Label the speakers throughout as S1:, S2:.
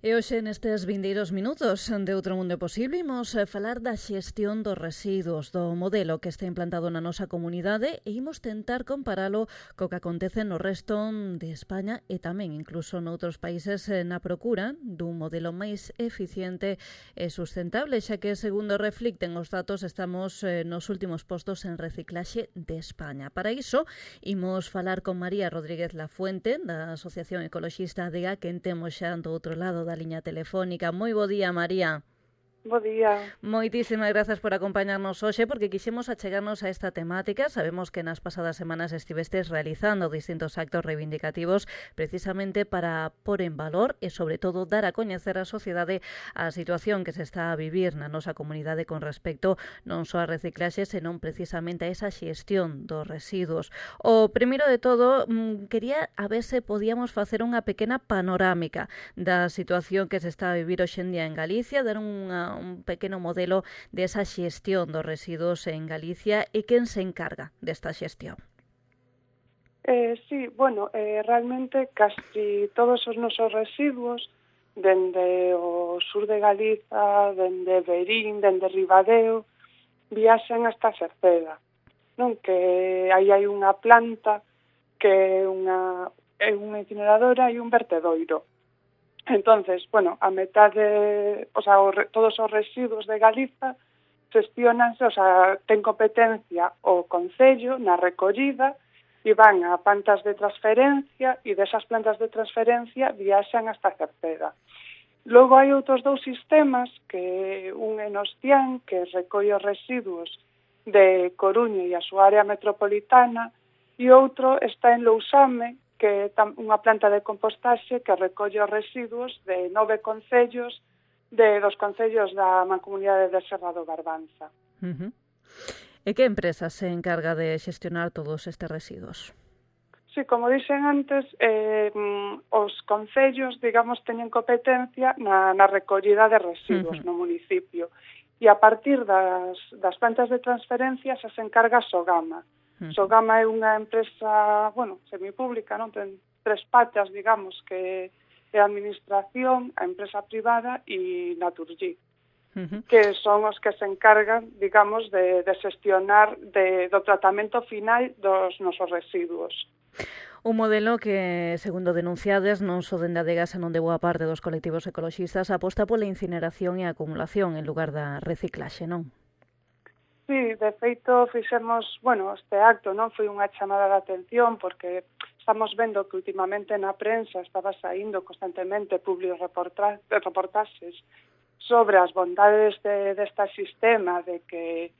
S1: E hoxe nestes vindeiros minutos de Outro Mundo Posible imos falar da xestión dos residuos, do modelo que está implantado na nosa comunidade e imos tentar comparalo co que acontece no resto de España e tamén incluso noutros países na procura dun modelo máis eficiente e sustentable, xa que segundo reflicten os datos estamos nos últimos postos en reciclaxe de España. Para iso imos falar con María Rodríguez Lafuente da Asociación Ecoloxista ADEA, que temos xa do outro lado da liña telefónica. Moi bo día, María.
S2: Bo día.
S1: Moitísimas grazas por acompañarnos hoxe, porque quixemos achegarnos a esta temática. Sabemos que nas pasadas semanas estivestes realizando distintos actos reivindicativos precisamente para pôr en valor e, sobre todo, dar a coñecer á sociedade a situación que se está a vivir na nosa comunidade con respecto non só a reciclaxe, senón precisamente a esa xestión dos residuos. O primeiro de todo, quería a ver se podíamos facer unha pequena panorámica da situación que se está a vivir hoxe en día en Galicia, dar un pequeno modelo desa xestión dos residuos en Galicia e quen se encarga desta xestión.
S2: Sí, realmente casi todos os nosos residuos, dende o sur de Galiza, dende Verín, dende Ribadeo, viaxan hasta Cerceda, non? Que aí hai unha planta que é unha incineradora e un vertedoiro. Entonces, a metade, todos os residuos de Galiza xestionanse, ten competencia o Concello na recollida e van a plantas de transferencia e desas plantas de transferencia viaxan hasta Cerceda. Logo hai outros dous sistemas, que un é Nostián, que recolle os residuos de Coruña e a súa área metropolitana, e outro está en Lousame, que é unha planta de compostaxe que recolle os residuos de 9 concellos, dos concellos da Mancomunidade de Serra do Barbanza.
S1: E que empresa se encarga de xestionar todos estes residuos?
S2: Sí, como dixen antes, os concellos, teñen competencia na recollida de residuos no municipio. E a partir das plantas de transferencia se encarga Sogama. Sogama é unha empresa, semipública, non? Ten tres patas, que é a administración, a empresa privada e Naturgy, que son os que se encargan, de xestionar do tratamento final dos nosos residuos.
S1: Un modelo que, segundo denunciades, non só dende ADEA, senón de boa parte dos colectivos ecoloxistas, aposta pola incineración e a acumulación en lugar da reciclaxe, non?
S2: Sí, de feito, fixemos, este acto, non? Foi unha chamada de atención porque estamos vendo que últimamente na prensa estaba saindo constantemente reportaxes sobre as bondades desta sistema, de que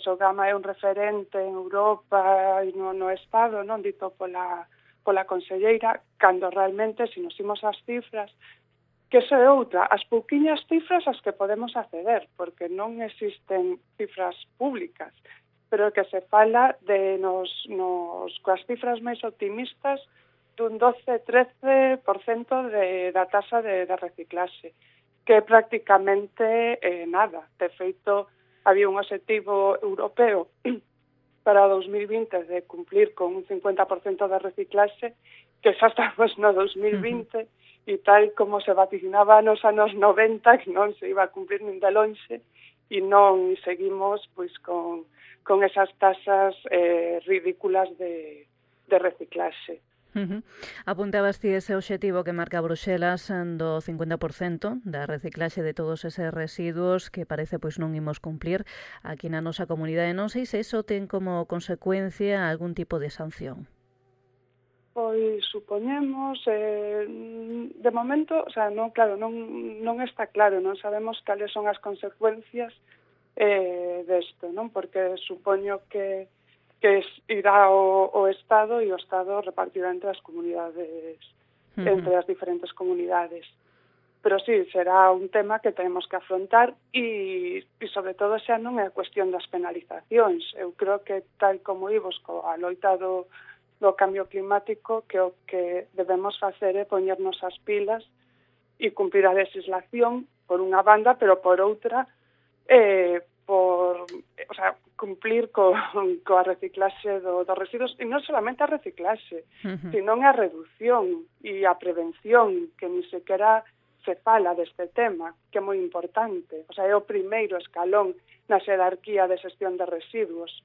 S2: Sogama é un referente en Europa e no Estado, non? Dito pola conselleira, cando realmente, se nos imos ás cifras, que iso é outra, as pouquiñas cifras ás que podemos acceder, porque non existen cifras públicas, pero que se fala de coas cifras máis optimistas dun 12-13% da taxa de reciclaxe, que é prácticamente nada. De feito, había un obxectivo europeo para 2020 de cumplir con un 50% de reciclaxe, que xa estamos no 2020, e tal como se vaticinaba nos anos 90, que non se iba a cumplir nin de lonxe, e non seguimos con esas tasas ridículas de reciclaxe.
S1: Apuntabas ti ese obxectivo que marca Bruxelas do 50% da reciclaxe de todos eses residuos que parece non imos cumplir aquí na nosa comunidade. Non sei se iso ten como consecuencia algún tipo de sanción.
S2: Pois supoñemos, de momento, non está claro, non sabemos cales son as consecuencias desto, non? Porque supoño que irá o Estado e o Estado repartirá entre as comunidades, entre as diferentes comunidades. Pero sí, será un tema que tenemos que afrontar e sobre todo xa non é a cuestión das penalizacións. Eu creo que tal como imos coa loita do cambio climático, que o que debemos facer é poñernos as pilas e cumprir a legislación por unha banda, pero por outra cumplir coa reciclaxe dos residuos, e non solamente a reciclaxe, sino a reducción e a prevención, que ni sequera se fala deste tema, que é moi importante. O sea, é o primeiro escalón na xerarquía de xestión de residuos.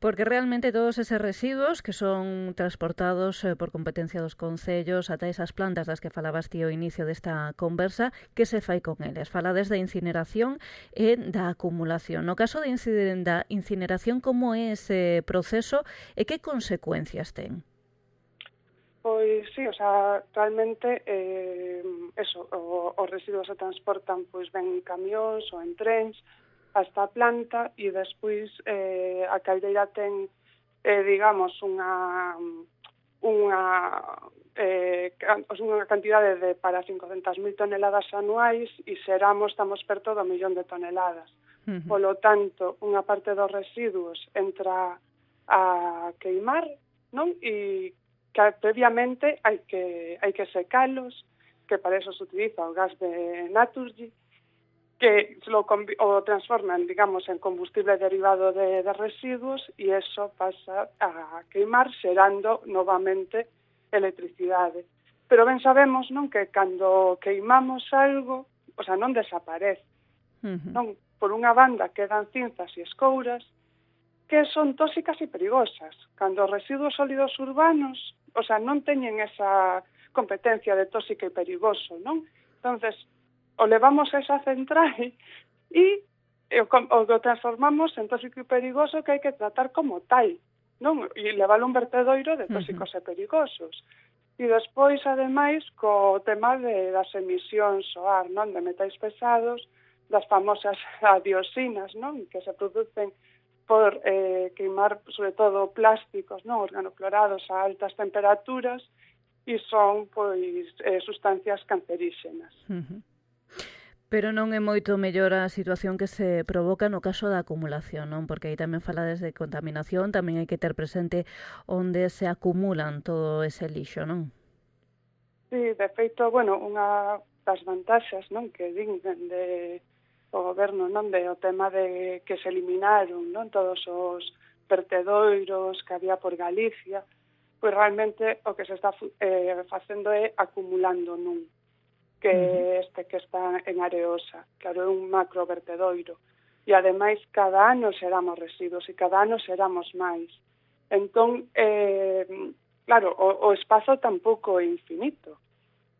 S1: Porque realmente todos eses residuos que son transportados por competencia dos concellos ata esas plantas das que falabas ti ao inicio desta conversa, que se fai con eles? Falades da incineración e da acumulación. No caso da incineración, como é ese proceso e que consecuencias ten?
S2: Pois sí, o sea, realmente os residuos se transportan pois ben en camións ou en trens hasta a planta e despois a caldeira ten, digamos, unha cantidade de para 500.000 toneladas anuais e estamos perto do 1.000.000 de toneladas. Polo tanto, unha parte dos residuos entra a queimar, non? E que previamente hai que secalos, que para eso se utiliza o gas de Naturgy, que o transforman, digamos, en combustible derivado de residuos e eso pasa a queimar, xerando novamente electricidade. Pero ben sabemos, non, que cando queimamos algo, o sea, non desaparece. Non, por unha banda quedan cinzas e escouras que son tóxicas e perigosas. Cando os residuos sólidos urbanos, o sea, non teñen esa competencia de tóxico e perigoso, non? Entonces, o levamos a esa central e o transformamos en tóxico e perigoso que hai que tratar como tal, non? E levar un vertedoiro de tóxicos e perigosos. E despois, ademais, co tema das emisións ao ar, non? De metais pesados, das famosas dioxinas, non? Que se producen por queimar, sobre todo, plásticos, non? Organoclorados a altas temperaturas e son, pois, sustancias canceríxenas.
S1: Pero non é moito mellor a situación que se provoca no caso da acumulación, non? Porque aí tamén falades de contaminación, tamén hai que ter presente onde se acumulan todo ese lixo, non?
S2: Sí, de feito, bueno, unha das vantaxes, non, que din o goberno, non, de o tema de que se eliminaron, non, todos os vertedoiros que había por Galicia, pois realmente o que se está facendo é acumulando nun, que que está en Areosa, claro, é un macro vertedoiro, e ademais cada ano xeramos residuos e cada ano xeramos máis. Entón, claro, o espazo tampouco é infinito,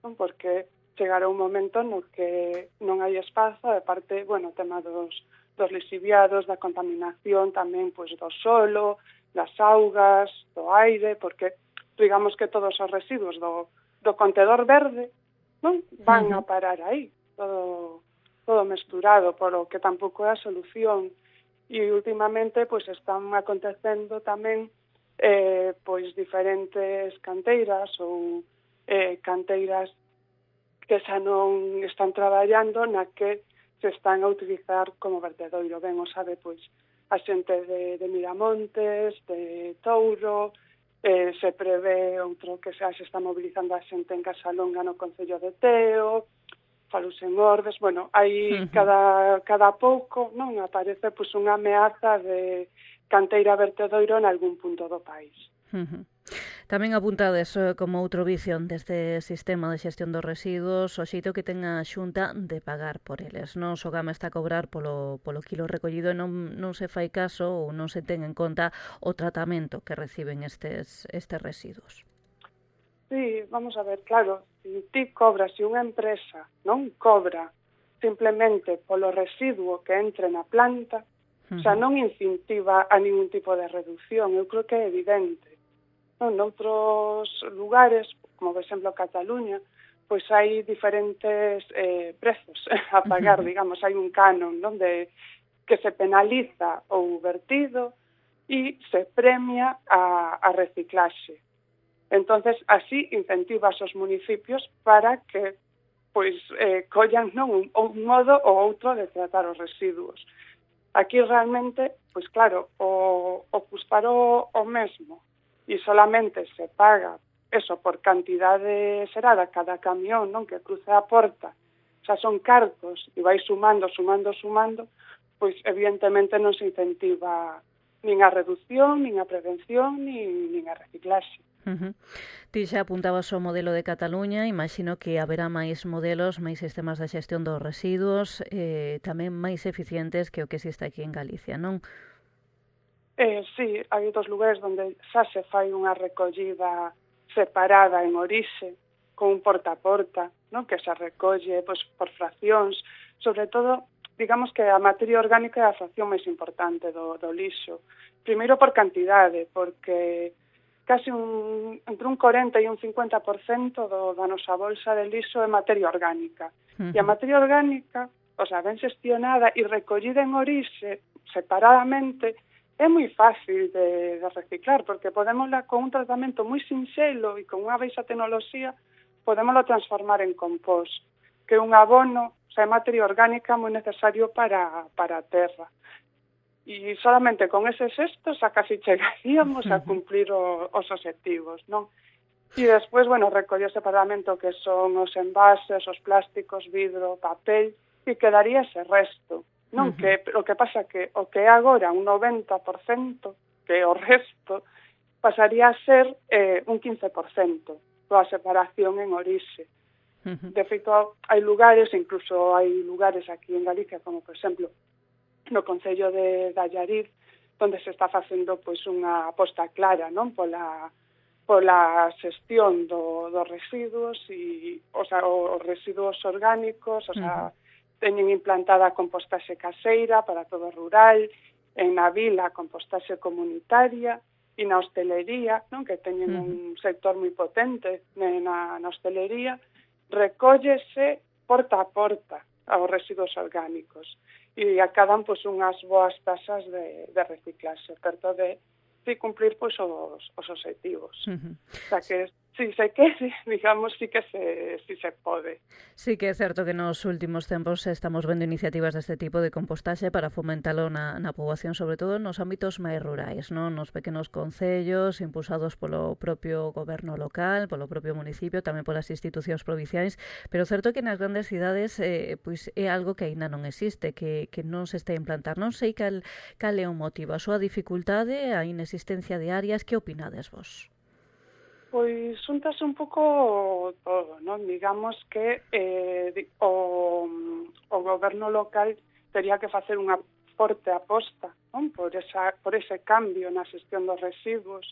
S2: non? Porque chegará un momento no que non hai espazo, de parte, bueno, o tema dos lixiviados, da contaminación tamén, pois, do solo, das augas, do aire, porque digamos que todos os residuos do contedor verde, non, van a parar aí, todo mesturado, polo que tampouco é a solución. E últimamente, pois, están acontecendo tamén pois diferentes canteiras ou canteiras que xa non están traballando na que se están a utilizar como vertedoiro. Ben, o sabe, pois, a xente de Miramontes, de Touro, se prevé outro que xa se está mobilizando a xente en Casalonga no Concello de Teo, Falus en Ordes, bueno, hai cada pouco, non, aparece pois unha ameaza de canteira vertedoiro en algún punto do país.
S1: Tamén apuntades como outro vicio deste sistema de xestión dos residuos o xeito que ten a Xunta de pagar por eles. Non o GAMA está a cobrar polo quilo recollido e non se fai caso ou non se ten en conta o tratamento que reciben estes residuos.
S2: Sí, vamos a ver, claro, se ti cobras, se unha empresa non cobra simplemente polo residuo que entre na planta, xa non incentiva a ningún tipo de reducción, eu creo que é evidente. Noutros lugares, como por exemplo Cataluña, pois hai diferentes prezos a pagar, digamos, hai un canon onde que se penaliza o vertido e se premia a reciclaxe. Entonces, así incentivas os municipios para que pois collan non un modo ou outro de tratar os residuos. Aquí realmente, pois claro, o custar o mesmo e solamente se paga eso por cantidade xerada cada camión, non, que cruza a porta, xa son cartos e vai sumando, pois evidentemente non se incentiva nin a reducción, nin a prevención, nin a reciclaxe.
S1: Ti xa apuntabas ao modelo de Cataluña, imagino que haberá máis modelos, máis sistemas de xestión dos residuos, tamén máis eficientes que o que existe aquí en Galicia, non?
S2: Sí, hai outros lugares onde xa se fai unha recollida separada en orixe, con un porta a porta, non? Que se recolle pois, por fraccións, sobre todo, digamos que a materia orgánica é a fracción máis importante do lixo. Primeiro por cantidade, porque casi entre un 40 e un 50% da nosa bolsa de lixo é materia orgánica. E a materia orgánica, o sea, ben xestionada e recollida en orixe separadamente, é moi fácil de reciclar, porque podémosla con un tratamento moi sinxelo e con unha baixa tecnoloxía, podémoslo transformar en compost, que é un abono, o sea, é materia orgánica moi necesario para a terra. E solamente con eses xestos a casi chegaríamos a cumplir os objetivos, non? E despois, bueno, recoller separadamente o que son os envases, os plásticos, vidro, papel, e quedaría ese resto, non? Que o que pasa que o que é agora un 90%, que o resto, pasaría a ser un 15%, toda a separación en orixe. De feito, hai lugares, incluso hai lugares aquí en Galicia, como por exemplo, no Concello de Allariz, onde se está facendo pois unha aposta clara, non, pola xestión dos residuos e, o sea, os residuos orgánicos, o sea, teñen implantada a compostaxe caseira para todo o rural, en na vila a compostaxe comunitaria e na hostelería, non, que teñen un sector moi potente na hostelería, recóllese porta a porta aos residuos orgánicos e acadan pois unhas boas tasas de reciclaxe, perto de cumplir pois os objetivos. O sea que si se quere, digamos, si se pode.
S1: Sí que é certo que nos últimos tempos estamos vendo iniciativas deste tipo de compostaxe para fomentalo na poboación, sobre todo nos ámbitos máis rurais, non? Nos pequenos concellos, impulsados polo propio goberno local, polo propio municipio, tamén polas institucións provinciais, pero certo que nas grandes cidades pois é algo que aínda non existe, que non se está a implantar. Non sei cal é o motivo, a súa dificultade, a inexistencia de áreas, que opinades vos?
S2: Pois xuntase un pouco todo, non? Digamos que o goberno local tería que facer unha forte aposta, non? Por ese cambio na xestión dos residuos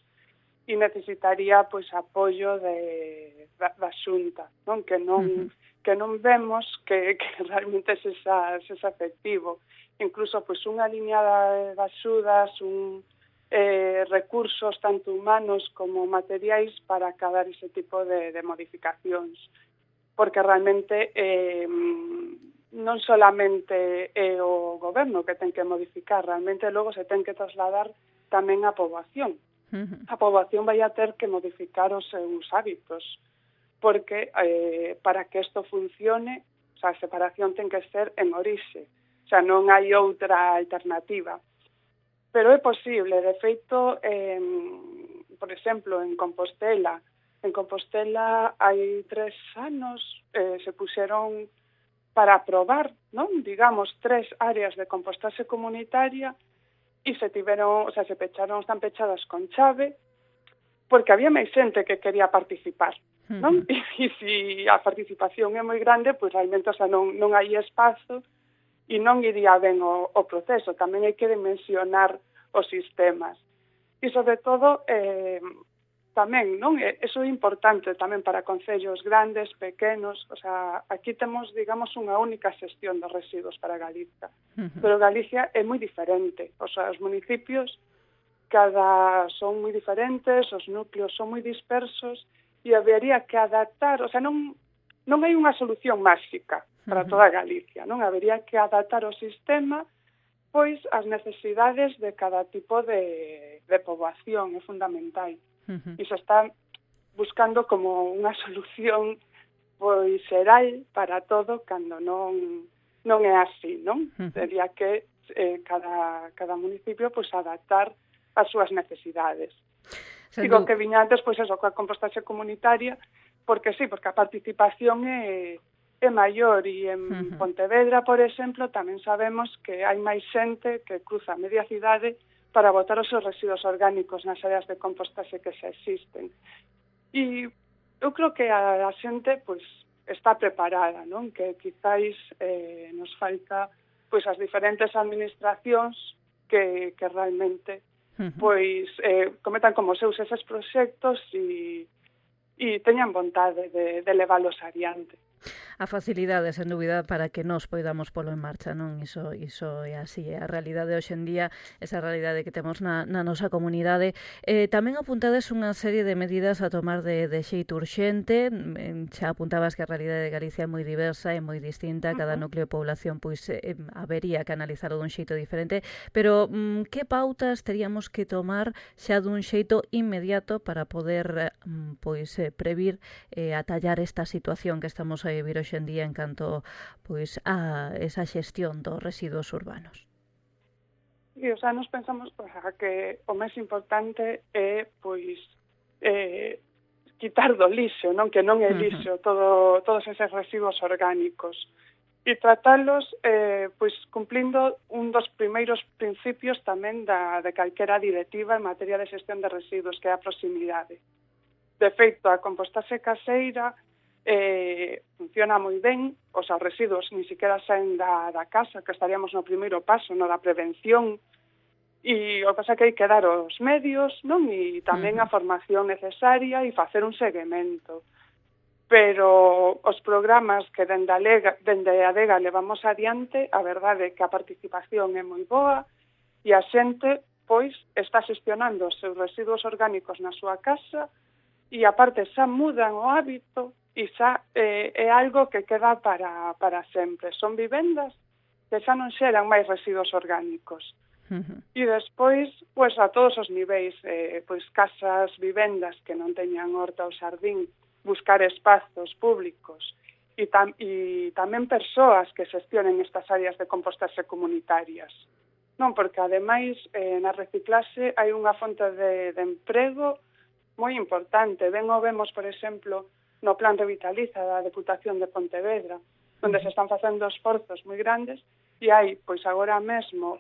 S2: e necesitaría pois apoio da Xunta, non? Que non vemos que realmente sexa efectivo. Incluso pois unha liña de axudas, recursos tanto humanos como materiais para acadar ese tipo de modificacións, porque realmente non solamente é o goberno que ten que modificar, realmente logo se ten que trasladar tamén a poboación. A poboación vai a ter que modificar os seus hábitos, porque para que isto funcione, o sea, a separación ten que ser en orixe, o sea, non hai outra alternativa. Pero é posible, de feito, por exemplo, en Compostela hai 3 anos se puxeron para probar, non? Digamos, 3 áreas de compostaxe comunitaria e se pecharon, están pechadas con chave, porque había máis xente que quería participar, non? E se a participación é moi grande, pois realmente, o sea, non hai espazo e non iría ben o proceso. Tamén hai que dimensionar os sistemas. E, sobre todo, tamén, non? Eso é importante tamén para concellos grandes, pequenos. O sea, aquí temos, digamos, unha única xestión dos residuos para Galicia. Pero Galicia é moi diferente. O sea, os municipios son moi diferentes, os núcleos son moi dispersos e habería que adaptar, o sea, non hai unha solución máxica para toda Galicia, non? Habería que adaptar o sistema pois as necesidades de cada tipo de poboación, é fundamental. E se está buscando como unha solución pois xeral para todo cando non é así, non? Sería que cada municipio pois adaptar as súas necesidades. Digo que viña antes, pois eso, coa compostaxe comunitaria, porque a participación é maior e en Pontevedra, por exemplo, tamén sabemos que hai máis xente que cruza media cidade para botar os seus residuos orgánicos nas áreas de compostaxe que xa existen. E eu creo que a xente pois está preparada, non? Que quizáis nos falta pois as diferentes administracións que realmente pois cometan como seus eses proxectos e teñan vontade de leválos adiante.
S1: A facilidade, sen dúbida, para que nós poidamos polo en marcha, non? Iso é así, é a realidade hoxe en día, esa realidade que temos na nosa comunidade. Tamén apuntades unha serie de medidas a tomar de xeito urxente, xa apuntabas que a realidade de Galicia é moi diversa e moi distinta, cada núcleo de población pois habería que analizarlo dun xeito diferente, pero que pautas teríamos que tomar xa dun xeito inmediato para poder pois previr atallar esta situación que estamos a vivir hoxe en día en canto pois a esa xestión dos residuos urbanos?
S2: E, o sea, nos pensamos que o máis importante é pois quitar do lixo, non? Que non é lixo todos eses residuos orgánicos e tratalos pois cumplindo un dos primeiros principios tamén de calquera directiva en materia de xestión de residuos, que é a proximidade. De feito, a compostaxe caseira funciona moi ben, os residuos ni siquiera saen da casa, que estaríamos no primeiro paso, no da prevención, e o que pasa que hai que dar os medios, non? E tamén a formación necesaria e facer un seguimento. Pero os programas que dende a Adega levamos adiante, a verdade é que a participación é moi boa e a xente, pois, está xestionando os seus residuos orgánicos na súa casa e, aparte, xa mudan o hábito e xa é algo que queda para sempre. Son vivendas que xa non xeran máis residuos orgánicos. E despois, pois a todos os niveis, pois casas, vivendas que non teñan horta ou xardín, buscar espazos públicos e tamén persoas que xestionen estas áreas de compostaxe comunitarias. Non, porque ademais na reciclaxe hai unha fonte de emprego moi importante. Ben o vemos, por exemplo, no Plan Revitaliza da Deputación de Pontevedra, onde se están facendo esforzos moi grandes e hai, pois agora mesmo,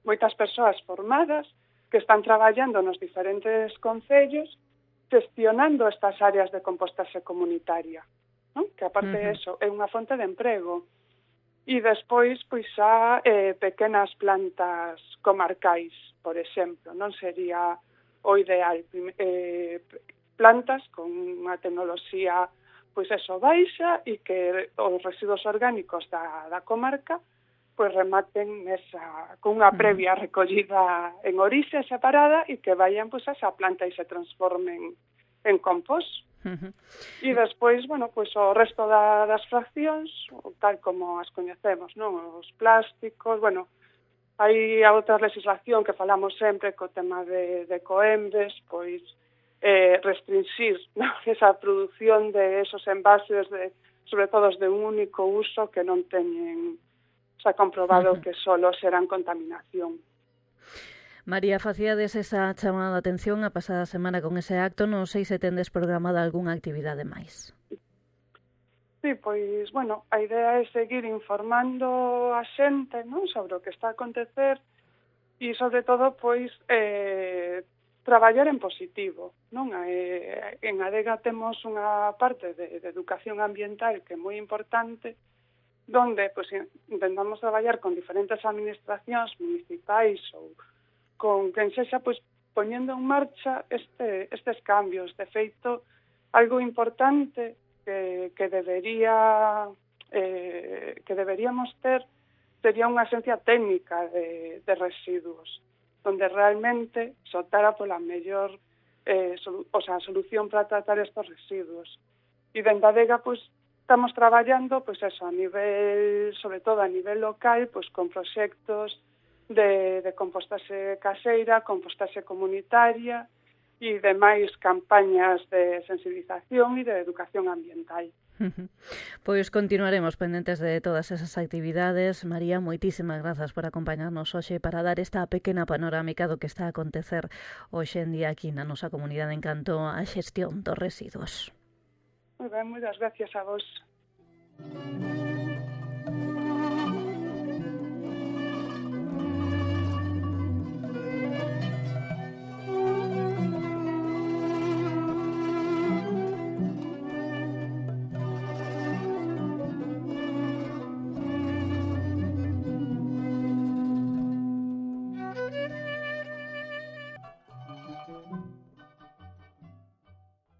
S2: moitas persoas formadas que están traballando nos diferentes concellos gestionando estas áreas de compostaxe comunitaria, non? Que aparte de eso é unha fonte de emprego. E despois, pois xa pequenas plantas comarcais, por exemplo, non sería o ideal, plantas con unha tecnoloxía pois eso baixa e que os residuos orgánicos da comarca pois rematen con unha previa recollida en orixe separada e que vayan pois a esa planta e se transformen en compost. E despois, bueno, pois o resto das fraccións, tal como as coñecemos, non? Os plásticos, bueno, hai a outra legislación que falamos sempre co tema de coembes, pois restringir, ¿no?, esa produción de esos envases, sobre todo de un único uso que non teñen, xa comprobado que solo serán contaminación.
S1: María, facíades esa chamada de atención a pasada semana con ese acto, non sei se tendes programada algunha actividade máis.
S2: Sí, pois, bueno, a idea é seguir informando a xente, non, sobre o que está a acontecer e, sobre todo, pois, traballar en positivo, non? En Adega temos unha parte de educación ambiental que é moi importante, donde pois, intentamos traballar con diferentes administracións municipais ou con quen sexa, pois, poñendo en marcha estes cambios. De feito, algo importante que deberíamos ter sería unha agencia técnica de residuos, donde realmente se optara pola mellor solución para tratar estos residuos. E dende a Adega, pois, estamos traballando, pois eso, sobre todo a nivel local, pois con proxectos de compostaxe caseira, compostaxe comunitaria e demais campañas de sensibilización e de educación ambiental.
S1: Pois continuaremos pendentes de todas esas actividades. María, moitísimas grazas por acompañarnos hoxe para dar esta pequena panorámica do que está a acontecer hoxe en día aquí na nosa comunidade en canto á xestión dos residuos.
S2: Moi ben, moitas gracias a vos.